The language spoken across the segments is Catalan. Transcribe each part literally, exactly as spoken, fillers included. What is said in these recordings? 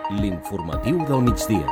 L'informatiu del migdia.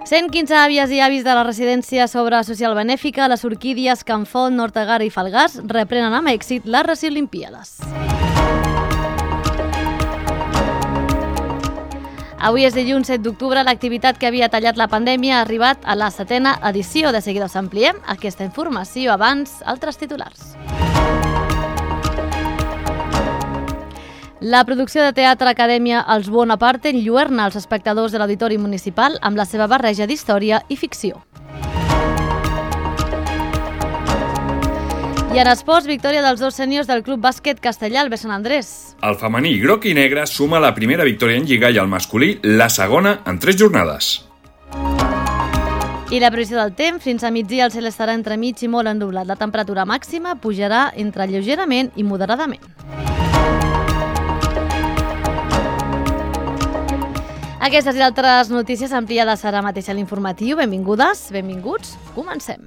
cent quinze àvies i avis de la residència sobre social benèfica, les Orquídies, Can Font, Nortegara i Falgars reprenen amb èxit les Reciolimpíades. Avui és dilluns set d'octubre, l'activitat que havia tallat la pandèmia ha arribat a la setena edició. De seguida us ampliem aquesta informació. Abans, altres titulars. La producció de teatre Acadèmia Els Bonaparte enlluerna els espectadors de l'Auditori Municipal amb la seva barreja d'història i ficció. I en esports, victòria dels dos sèniors del Club Bàsquet Castellà al Sant Andrés. El femení groc i negre suma la primera victòria en Lliga i el masculí la segona en tres jornades. I la previsió del temps, fins a migdia el cel estarà entremig i molt ennublat. La temperatura màxima pujarà entre lleugerament i moderadament. Aquestes i altres notícies ampliades ara mateix a l'informatiu. Benvingudes, benvinguts, comencem.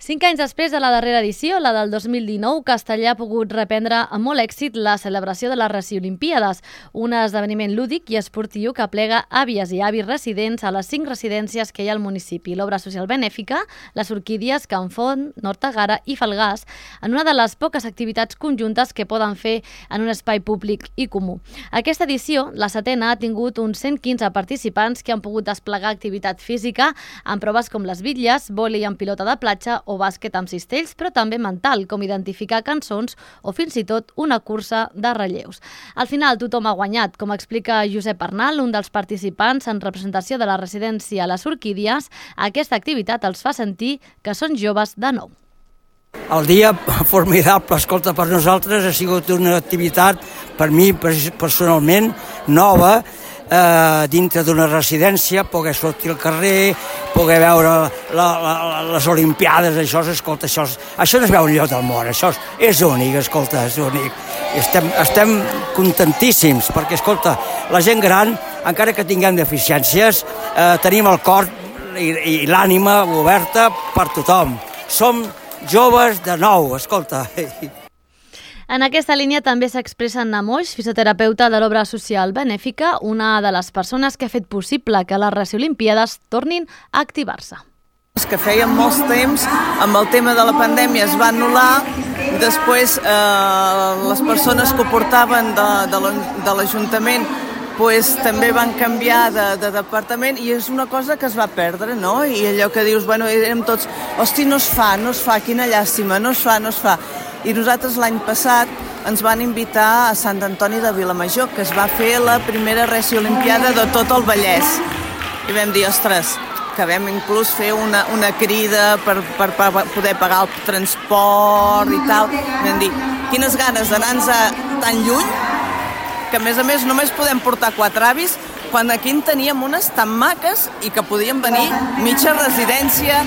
Cinc anys després de la darrera edició, la del dos mil dinou, Castellà ha pogut reprendre amb molt èxit la celebració de les Reciolimpíades, un esdeveniment lúdic i esportiu que aplega àvies i avis residents a les cinc residències que hi ha al municipi. L'obra social benèfica, les Orquídies, Can Font, Nortegara i Falgars, en una de les poques activitats conjuntes que poden fer en un espai públic i comú. Aquesta edició, la setena, ha tingut uns cent quinze participants que han pogut desplegar activitat física amb proves com les bitlles, vòlei amb pilota de platja o bàsquet amb cistells, però també mental, com identificar cançons o fins i tot una cursa de relleus. Al final tothom ha guanyat, com explica Josep Arnal, un dels participants en representació de la residència a les Orquídies. Aquesta activitat els fa sentir que són joves de nou. El dia formidable, escolta, per nosaltres ha sigut una activitat, per mi personalment, nova, Eh, dintre d'una residència, poder sortir al carrer, poder veure la, la, les Olimpiades, això, escolta, això, això no es veu enlloc del món, això és, és únic, escolta, és únic. Estem, estem contentíssims, perquè, escolta, la gent gran, encara que tinguem deficiències, eh, tenim el cor i, i l'ànima oberta per tothom. Som joves de nou, escolta. En aquesta línia també s'expressa Anna Moix, fisioterapeuta de l'obra social benèfica, una de les persones que ha fet possible que les Reciolimpíades tornin a activar-se. Que feien molts temps, amb el tema de la pandèmia es va anul·lar, després eh, les persones que ho portaven de, de l'Ajuntament pues, també van canviar de, de departament i és una cosa que es va perdre, no? I allò que dius, bueno, érem tots, hosti, no es fa, no es fa, quina llàstima, no es fa, no es fa. I nosaltres l'any passat ens van invitar a Sant Antoni de Vilamajor, que es va fer la primera Reciolimpíada de tot el Vallès. I vam dir, ostres, que vam inclús fer una, una crida per, per, per poder pagar el transport i tal. Vam dir, quines ganes d'anar-nos tan lluny, que a més a més només podem portar quatre avis, quan aquí en teníem unes tan maques i que podien venir mitja residència.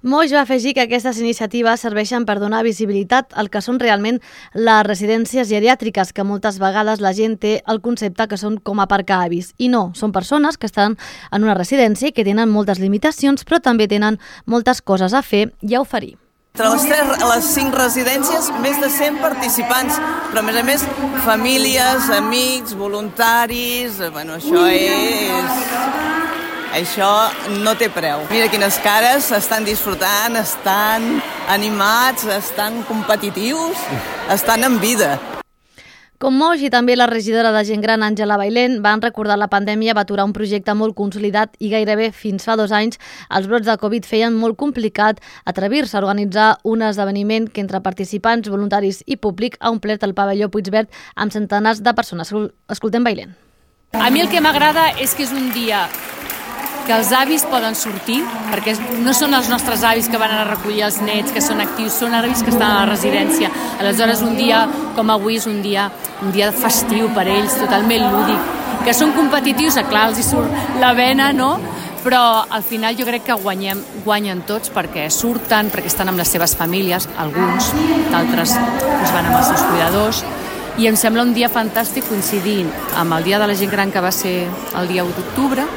Moix va afegir que aquestes iniciatives serveixen per donar visibilitat al que són realment les residències geriàtriques, que moltes vegades la gent té el concepte que són com aparcar avis. I no, són persones que estan en una residència i que tenen moltes limitacions, però també tenen moltes coses a fer i a oferir. Entre les, tres, les cinc residències, més de cent participants, però a més a més famílies, amics, voluntaris, bueno, això és... Això no té preu. Mira quines cares, estan disfrutant, estan animats, estan competitius, estan en vida. Com Moix i també la regidora de Gent Gran, Àngela Bailén, van recordar la pandèmia va aturar un projecte molt consolidat i gairebé fins fa dos anys els brots de Covid feien molt complicat atrevir-se a organitzar un esdeveniment que entre participants, voluntaris i públic ha omplert el pavelló Puigverd amb centenars de persones. Escoltem Bailén. A mi el que m'agrada és que és un dia que els avis poden sortir, perquè no són els nostres avis que van a recollir els nets, que són actius, són avis que estan a la residència. Aleshores, un dia com avui és un dia, un dia festiu per ells, totalment lúdic. Que són competitius, clar, els hi surt la vena, no? Però al final jo crec que guanyem, guanyen tots perquè surten, perquè estan amb les seves famílies, alguns, d'altres doncs van amb els seus cuidadors, i em sembla un dia fantàstic coincidint amb el Dia de la Gent Gran, que va ser el dia u d'octubre,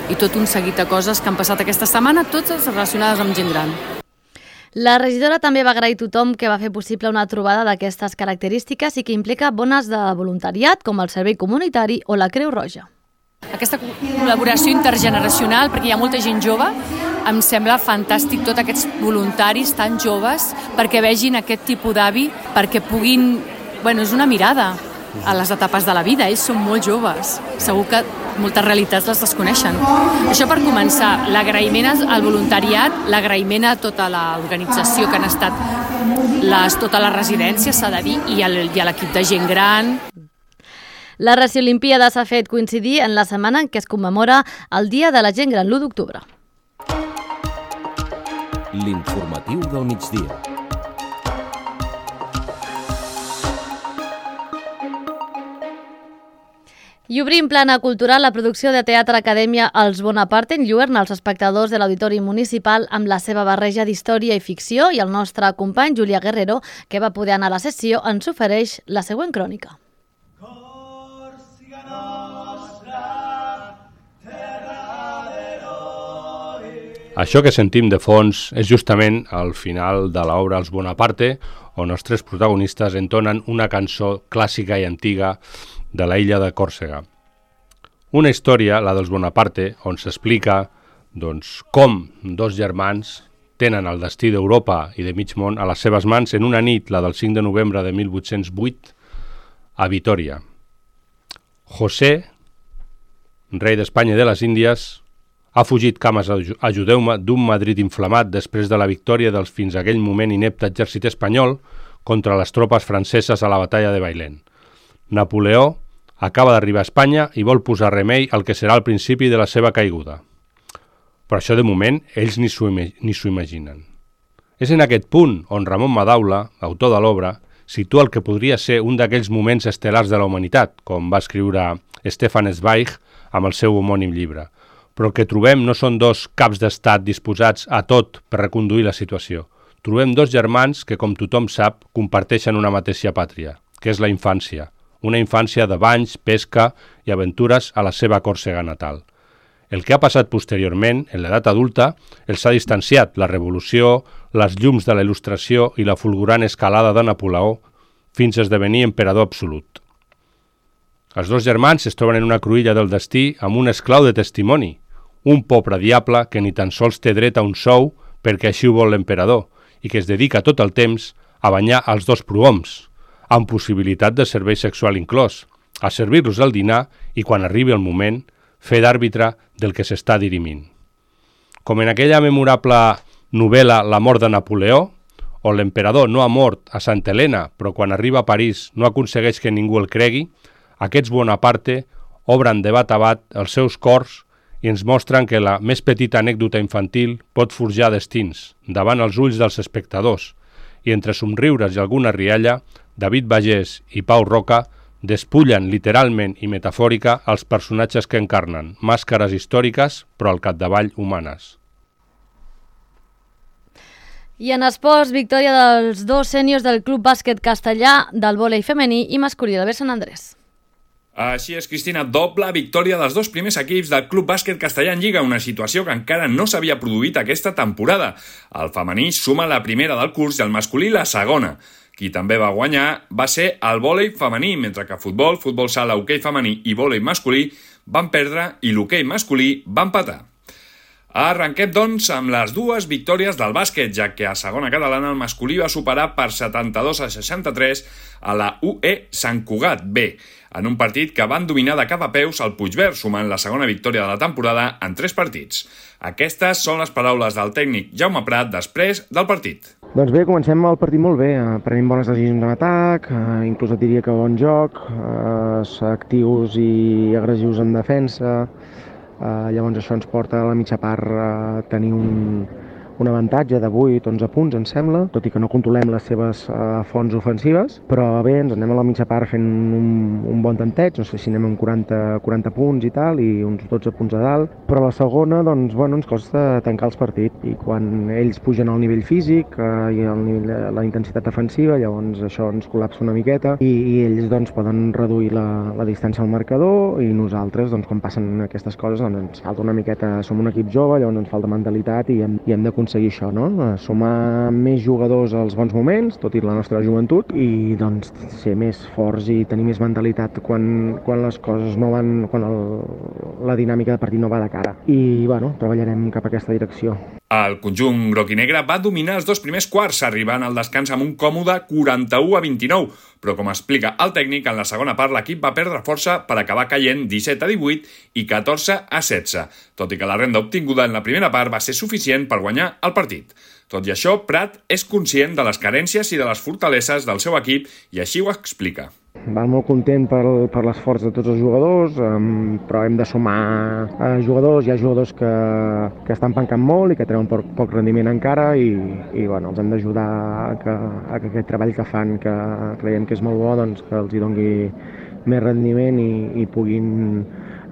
i tot un seguit de coses que han passat aquesta setmana, totes relacionades amb gent gran. La regidora també va agrair a tothom que va fer possible una trobada d'aquestes característiques i que implica bones de voluntariat, com el Servei Comunitari o la Creu Roja. Aquesta col·laboració intergeneracional, perquè hi ha molta gent jove, em sembla fantàstic tots aquests voluntaris tan joves perquè vegin aquest tipus d'avi, perquè puguin... Bueno, és una mirada a les etapes de la vida, ells són molt joves. Segur que moltes realitats les desconeixen. Això per començar, l'agraïment al voluntariat, l'agraïment a tota l'organització que han estat les, tota la residència, s'ha de dir, i a l'equip de gent gran. La Reciolimpíada s'ha fet coincidir en la setmana en què es commemora el Dia de la Gent Gran, l'u d'octubre. L'informatiu del migdia. I obrim plana cultural, la producció de Teatre Acadèmia Els Bonaparte enlluerna els espectadors de l'Auditori Municipal amb la seva barreja d'història i ficció, i el nostre company Julià Guerrero, que va poder anar a la sessió, ens ofereix la següent crònica. Això que sentim de fons és justament al final de l'obra Els Bonaparte, on els tres protagonistes entonen una cançó clàssica i antiga de la illa de Còrsega. Una història, la dels Bonaparte, on s'explica doncs, com dos germans tenen el destí d'Europa i de mig món a les seves mans en una nit, la del cinc de novembre de mil vuit-cents vuit, a Vitòria. José, rei d'Espanya i de les Índies, ha fugit, cames, ajudeu-me, d'un Madrid inflamat després de la victòria dels fins aquell moment inepte exèrcit espanyol contra les tropes franceses a la batalla de Bailén. Napoleó acaba d'arribar a Espanya i vol posar remei al que serà el principi de la seva caiguda. Però això, de moment, ells ni s'ho imaginen. És en aquest punt on Ramon Madaula, autor de l'obra, situa el que podria ser un d'aquells moments estel·lars de la humanitat, com va escriure Stefan Zweig amb el seu homònim llibre. Però el que trobem no són dos caps d'estat disposats a tot per reconduir la situació. Trobem dos germans que, com tothom sap, comparteixen una mateixa pàtria, que és la infància. Una infància de banys, pesca i aventures a la seva Còrsega natal. El que ha passat posteriorment, en l'edat adulta, els ha distanciat la revolució, les llums de la il·lustració i la fulgurant escalada de Napoleó fins a esdevenir emperador absolut. Els dos germans es troben en una cruïlla del destí amb un esclau de testimoni, un pobre diable que ni tan sols té dret a un sou perquè així ho vol l'emperador i que es dedica tot el temps a banyar els dos prohoms, amb possibilitat de servei sexual inclòs, a servir-los el dinar i, quan arribi el moment, fer d'àrbitre del que s'està dirimint. Com en aquella memorable novel·la La mort de Napoleó, on l'emperador no ha mort a Santa Helena, però quan arriba a París no aconsegueix que ningú el cregui, aquests Bonaparte obren de bat a bat els seus cors i ens mostren que la més petita anècdota infantil pot forjar destins davant els ulls dels espectadors, i entre somriures i alguna rialla, David Bagés i Pau Roca despullen literalment i metafòrica els personatges que encarnen, màscares històriques, però al capdavall humanes. I en esports, victòria dels dos sèniors del Club Bàsquet Castellà del vòlei femení i masculí del Sant Andrés. Així és, Cristina, doble victòria dels dos primers equips del Club Bàsquet Castellà en Lliga, una situació que encara no s'havia produït aquesta temporada. El femení suma la primera del curs i el masculí la segona. Qui també va guanyar va ser el vòlei femení, mentre que futbol, futbol sala, hoquei femení i vòlei masculí van perdre i l'hoquei masculí va empatar. Arrenquem, doncs, amb les dues victòries del bàsquet, ja que a segona catalana el masculí va superar per setanta-dos a seixanta-tres a la U E Sant Cugat B, en un partit que van dominar de cap a peus el Puigverd, sumant la segona victòria de la temporada en tres partits. Aquestes són les paraules del tècnic Jaume Prat després del partit. Doncs bé, comencem el partit molt bé, prenem bones decisions en atac, inclús et diria que bon joc, actius i agressius en defensa. Uh, llavors això ens porta a la mitja part a tenir un, un avantatge de vuit onze punts, em sembla, tot i que no controlem les seves uh, fonts ofensives, però bé, ens anem a la mitja part fent un, un bon tanteig, no sé si anem amb quaranta, quaranta punts i tal, i uns dotze punts a dalt, però a la segona, doncs, bueno, ens costa tancar els partits, i quan ells pugen al nivell físic uh, i el nivell, la intensitat defensiva, llavors això ens col·lapsa una miqueta, i, i ells, doncs, poden reduir la, la distància al marcador, i nosaltres, doncs, quan passen aquestes coses, doncs, ens falta una miqueta, som un equip jove, llavors ens falta mentalitat i hem, i hem de aconseguir això, no? Sumar més jugadors als bons moments, tot i la nostra joventut, i doncs ser més forts i tenir més mentalitat quan, quan les coses no van, quan el, la dinàmica de partit no va de cara. I, bueno, treballarem cap a aquesta direcció. El conjunt groc i negre va dominar els dos primers quarts, arribant al descans amb un còmode quaranta-u a vint-i-nou, però com explica el tècnic, en la segona part l'equip va perdre força per acabar caient disset a divuit i catorze a setze, tot i que la renda obtinguda en la primera part va ser suficient per guanyar el partit. Tot i això, Prat és conscient de les carències i de les fortaleses del seu equip i així ho explica. Va molt content per, per l'esforç de tots els jugadors, um, però hem de sumar uh, jugadors. Hi ha jugadors que, que estan pencant molt i que treuen poc, poc rendiment encara i, i bueno, els hem d'ajudar a que, a que aquest treball que fan, que creiem que és molt bo, doncs, que els hi doni més rendiment i, i puguin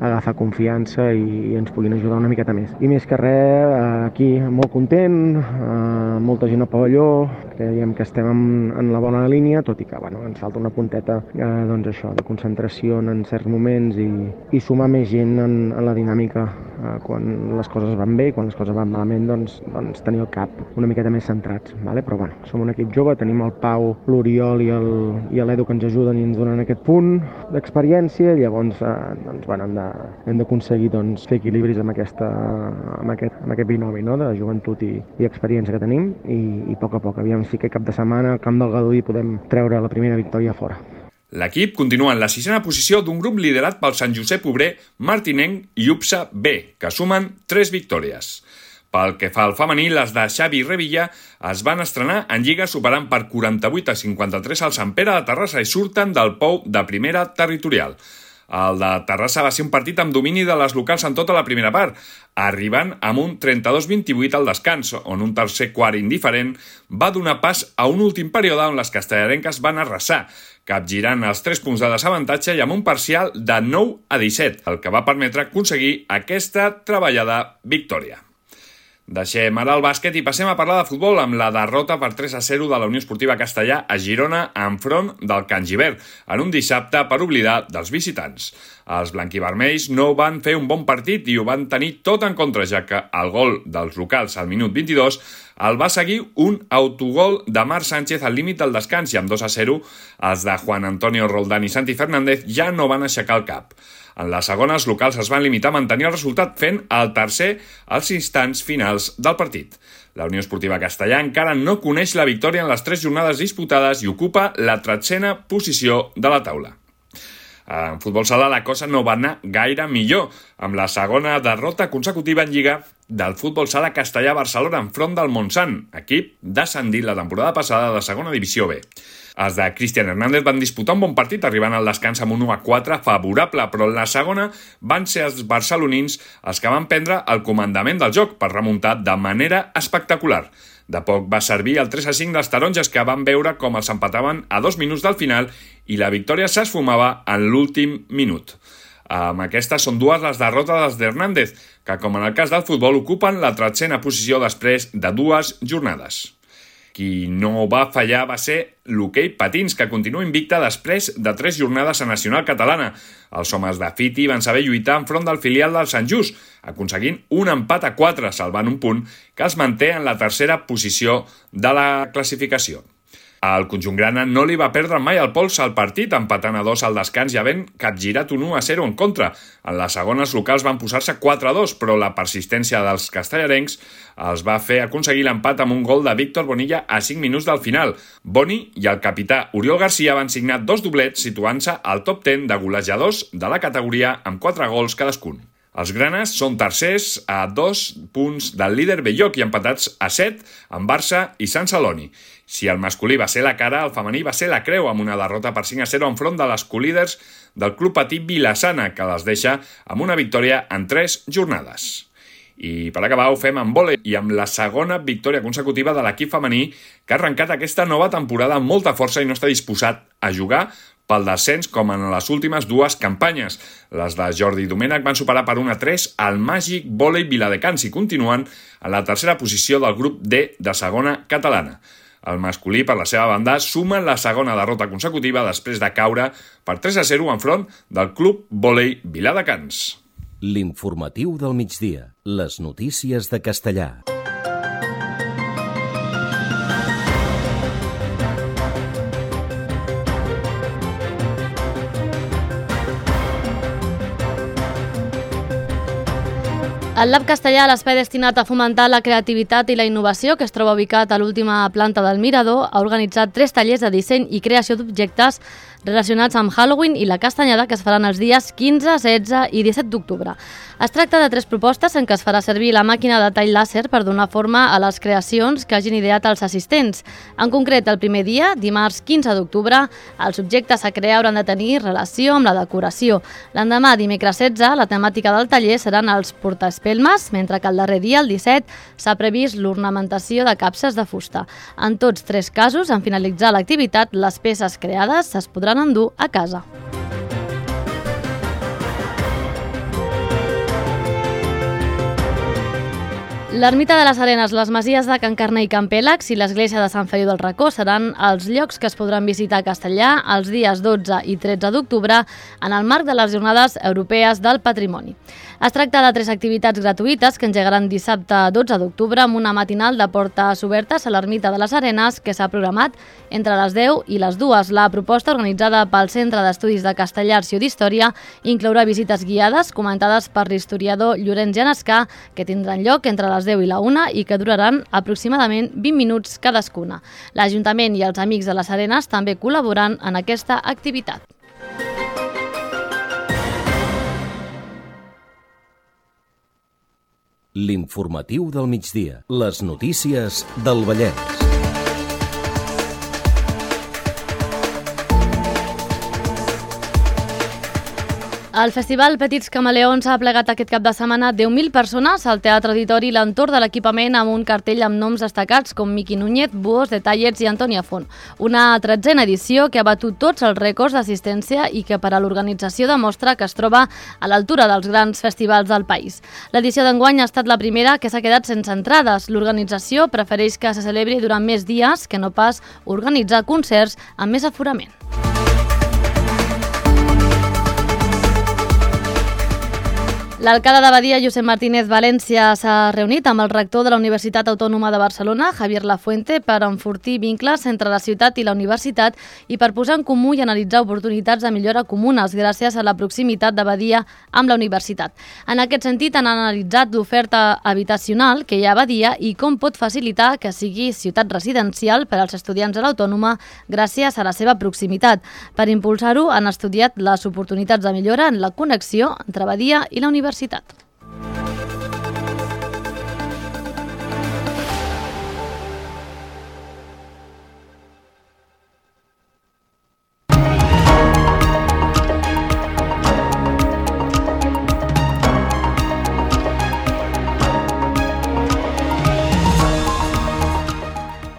agafar confiança i, i ens puguin ajudar una miqueta més. I més que res, aquí molt content, eh, molta gent al pavelló, creiem que estem en, en la bona línia, tot i que bueno, ens falta una punteta eh, doncs això, de concentració en certs moments i, i sumar més gent en, en la dinàmica. Eh, quan les coses van bé i quan les coses van malament, doncs, doncs tenir el cap una miqueta més centrats. Vale? Però bueno, som un equip jove, tenim el Pau, l'Oriol i l'Edu que ens ajuden i ens donen aquest punt d'experiència, llavors eh, doncs, bueno, hem de hem d'aconseguir doncs, fer equilibris amb, aquesta, amb, aquest, amb aquest binomi, no? De joventut i, i experiència que tenim i, i a poc a poc, aviam si aquest cap de setmana al camp del Gaudí podem treure la primera victòria fora. L'equip continua en la sisena posició d'un grup liderat pel Sant Josep Obrer, Martinenc i Upsa B, que sumen tres victòries. Pel que fa al femení, les de Xavi Revilla es van estrenar en Lliga superant per quaranta-vuit a cinquanta-tres al Sant Pere de Terrassa i surten del pou de primera territorial. El de Terrassa va ser un partit amb domini de les locals en tota la primera part, arribant amb un trenta-dos a vint-i-vuit al descans, on un tercer quart indiferent va donar pas a un últim període on les castellarenques van arrasar, capgirant els tres punts de desavantatge i amb un parcial de nou a disset, el que va permetre aconseguir aquesta treballada victòria. Deixem ara el bàsquet i passem a parlar de futbol amb la derrota per tres a zero de la Unió Esportiva Castellà a Girona enfront del Can Gibert, en un dissabte per oblidar dels visitants. Els blanquivermells no van fer un bon partit i ho van tenir tot en contra, ja que el gol dels locals al minut vint-i-dos el va seguir un autogol de Marc Sánchez al límit del descans i amb dos a zero els de Juan Antonio Roldán i Santi Fernández ja no van aixecar el cap. En la segona, els locals es van limitar a mantenir el resultat fent el tercer als instants finals del partit. La Unió Esportiva Castellà encara no coneix la victòria en les tres jornades disputades i ocupa la tretzena posició de la taula. En futbol sala la cosa no va anar gaire millor, amb la segona derrota consecutiva en Lliga del futbol sala Castellà-Barcelona enfront del Montsant, equip descendit la temporada passada de segona divisió B. Els de Cristian Hernández van disputar un bon partit, arribant al descans amb un u a quatre favorable, però en la segona van ser els barcelonins els que van prendre el comandament del joc per remuntar de manera espectacular. De poc va servir el tres a cinc dels taronges, que van veure com els empataven a dos minuts del final i la victòria s'esfumava en l'últim minut. Amb aquestes són dues les derrotes d'Hernández, que com en el cas del futbol ocupen la tretzena posició després de dues jornades. Qui no va fallar va ser l'hoquei patins, que continua invicta després de tres jornades a Nacional Catalana. Els homes de Fiti van saber lluitar enfront del filial del Sant Just, aconseguint un empat a quatre, salvant un punt que els manté en la tercera posició de la classificació. El conjunt grana no li va perdre mai el pols al partit, empatant a dos al descans i havent capgirat un u a zero en contra. En les segones locals van posar-se quatre a dos, però la persistència dels castellarencs els va fer aconseguir l'empat amb un gol de Víctor Bonilla a cinc minuts del final. Boni i el capità Oriol Garcia van signar dos doblets, situant-se al top deu de golejadors de la categoria amb quatre gols cadascun. Els granes són tercers a dos punts del líder Belloc i empatats a set amb Barça i Sant Celoni. Si el masculí va ser la cara, el femení va ser la creu amb una derrota per cinc a zero enfront de les colíders del Club Patí Vilassana, que les deixa amb una victòria en tres jornades. I per acabar ho fem amb vòlei i amb la segona victòria consecutiva de l'equip femení, que ha arrencat aquesta nova temporada amb molta força i no està disposat a jugar pel descens com en les últimes dues campanyes. Les de Jordi Domènech van superar per un a tres al Màgic Vòlei Viladecans i continuen en la tercera posició del grup D de segona catalana. El masculí, per la seva banda, suma la segona derrota consecutiva després de caure per tres a zero enfront del Club Vòlei Viladecans. L'informatiu del migdia. Les notícies de Castellà. El Lab Castellà, l'espai destinat a fomentar la creativitat i la innovació, que es troba ubicat a l'última planta del Mirador, ha organitzat tres tallers de disseny i creació d'objectes relacionats amb Halloween i la Castanyada, que es faran els dies quinze, setze i disset d'octubre. Es tracta de tres propostes en què es farà servir la màquina de tall làser per donar forma a les creacions que hagin ideat els assistents. En concret, el primer dia, dimarts quinze d'octubre, els objectes a crear hauran de tenir relació amb la decoració. L'endemà, dimecres setze, la temàtica del taller seran els portaespelmes, mentre que el darrer dia, el disset, s'ha previst l'ornamentació de capses de fusta. En tots tres casos, en finalitzar l'activitat, les peces creades es podran endur a casa. L'ermita de les Arenes, les masies de Can Carner i Can Pèlags i l'església de Sant Feliu del Racó seran els llocs que es podran visitar a Castellà els dies dotze i tretze d'octubre en el marc de les Jornades Europees del Patrimoni. Es tracta de tres activitats gratuïtes que engegaran dissabte dotze d'octubre amb una matinal de portes obertes a l'ermita de les Arenes que s'ha programat entre les deu i les dues. La proposta, organitzada pel Centre d'Estudis de Castellà, Arxiu d'Història, inclourà visites guiades comentades per l'historiador Llorenç Genescà, que tindran lloc entre les deu i la una i que duraran aproximadament vint minuts cadascuna. L'Ajuntament i els Amics de les Arenes també col·laboren en aquesta activitat. L'informatiu del migdia. Les notícies del Vallès. El Festival Petits Camaleons ha plegat aquest cap de setmana deu mil persones al Teatre Auditori i l'entorn de l'equipament amb un cartell amb noms destacats com Miqui Núñez, Buos, Detallets i Antònia Font. Una tretzena edició que ha batut tots els rècords d'assistència i que per a l'organització demostra que es troba a l'altura dels grans festivals del país. L'edició d'enguany ha estat la primera que s'ha quedat sense entrades. L'organització prefereix que se celebri durant més dies que no pas organitzar concerts amb més aforament. L'alcalde de Badia, Josep Martínez València, s'ha reunit amb el rector de la Universitat Autònoma de Barcelona, Javier Lafuente, per enfortir vincles entre la ciutat i la universitat i per posar en comú i analitzar oportunitats de millora comunes gràcies a la proximitat de Badia amb la universitat. En aquest sentit, han analitzat l'oferta habitacional que hi ha a Badia i com pot facilitar que sigui ciutat residencial per als estudiants de l'Autònoma gràcies a la seva proximitat. Per impulsar-ho, han estudiat les oportunitats de millora en la connexió entre Badia i la universitat.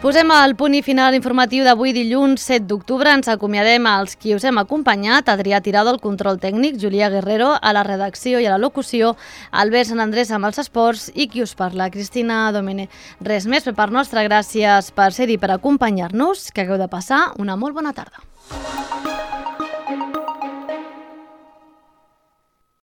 Posem el punt i final informatiu d'avui dilluns set d'octubre. Ens acomiadem als qui us hem acompanyat: Adrià Tirado al control tècnic, Julià Guerrero a la redacció i a la locució, Albert Sant Andrés amb els esports i qui us parla, Cristina Domene. Res més per part nostra, gràcies per ser-hi, per acompanyar-nos, que hagueu de passar una molt bona tarda.